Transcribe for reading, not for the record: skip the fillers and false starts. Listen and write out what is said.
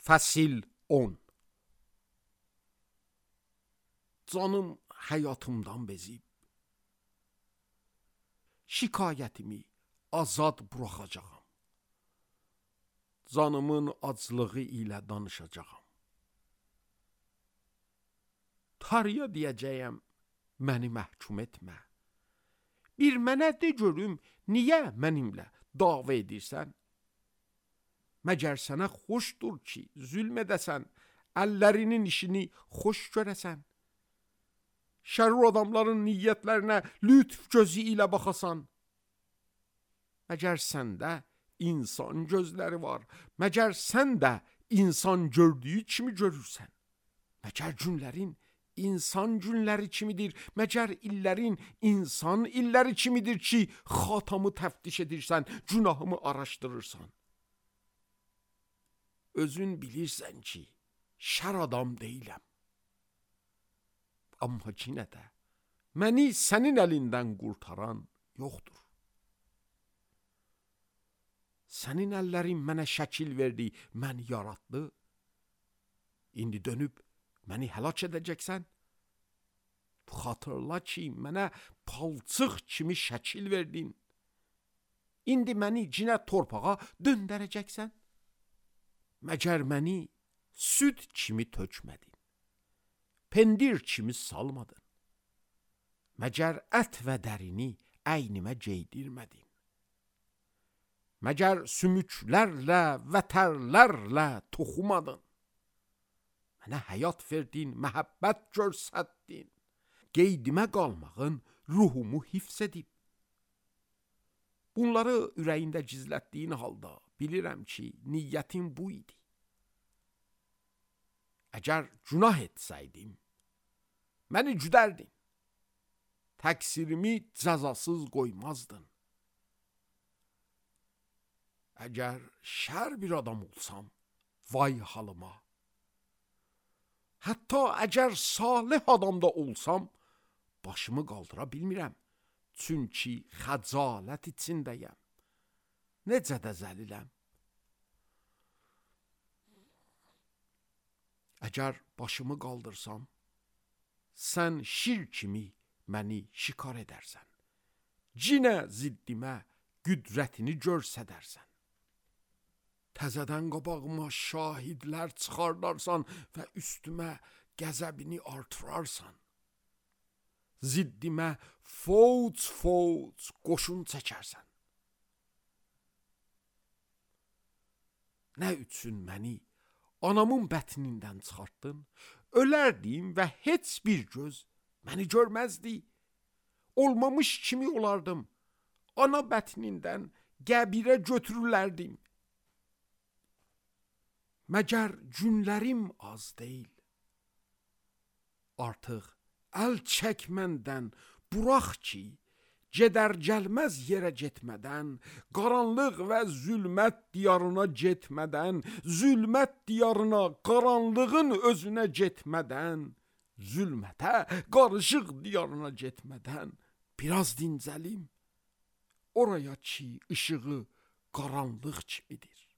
Fəsil 10. Canım həyatımdan bezib, şikayətimi azad buraxacağam. Canımın aclığı ilə danışacağam. Tarıya deyəcəyəm, məni məhkum etmə. Bir mənə de görüm, niyə mənimlə dava edirsən? Məgər sənə xoşdur ki, zülm edəsən, əllərinin işini xoş görəsən? Şərur adamların niyyətlərinə lütf gözü ilə baxasan? Məgər səndə insan gözləri var, məgər sən də insan gördüyü kimi görürsən? Məgər günlərin insan günləri kimidir, məgər illərin insan illəri kimidir ki, xatamı təftiş edirsən, günahımı araşdırırsan? Özün bilirsən ki, şər adam deyiləm. Amma yenə də məni sənin əlindən qurtaran yoxdur. Sənin əllərin mənə şəkil verdi, məni yaratdı. İndi dönüb məni həlak edəcəksən? Xatırla ki, mənə palçıq kimi şəkil verdin. İndi məni cinə torpağa döndərəcəksən? Məgər məni süd kimi tökmədin? Pendir kimi salmadın? Məgər ət və dərini əynimə geydirmədin? Məgər sümüklərlə və tərlərlə toxumadın? Mənə həyat verdin, məhəbbət görsətdin. Qeydimə qalmağın ruhumu hifz edib. Bunları ürəyində gizlətdiyin halda bilirəm ki, niyyətin bu idi. Əgər günah etsəydim, məni güdərdin. Təqsirimi cəzasız qoymazdın. Əgər şər bir adam olsam, vay halıma. Hətta əgər salih adam da olsam, başımı qaldıra bilmirəm. Çünki xəcalət içindəyəm. Necə də zəliləm. Əgər başımı qaldırsam, sən şir kimi məni şikar edərsən. Cinə ziddimə qüdrətini görsədərsən. Təzədən qabağıma şahidlər çıxardarsan və üstümə qəzəbini artırarsan. Ziddimə fouc qoşun çəkərsən. Nə üçün məni anamın bətnindən çıxartdın? Ölərdim və heç bir göz məni görməzdi. Olmamış kimi olardım. Ana bətnindən qəbirə götürülərdim. Məgər günlərim az deyil? Artıq əl çək məndən, burax ki, gedər gəlməz yerə getmədən, qaranlıq və zülmət diyarına getmədən, zülmət diyarına, qaranlığın özünə getmədən, zülmətə, qarışıq diyarına getmədən, biraz dincəlim, oraya ki, işığı qaranlıq kimidir.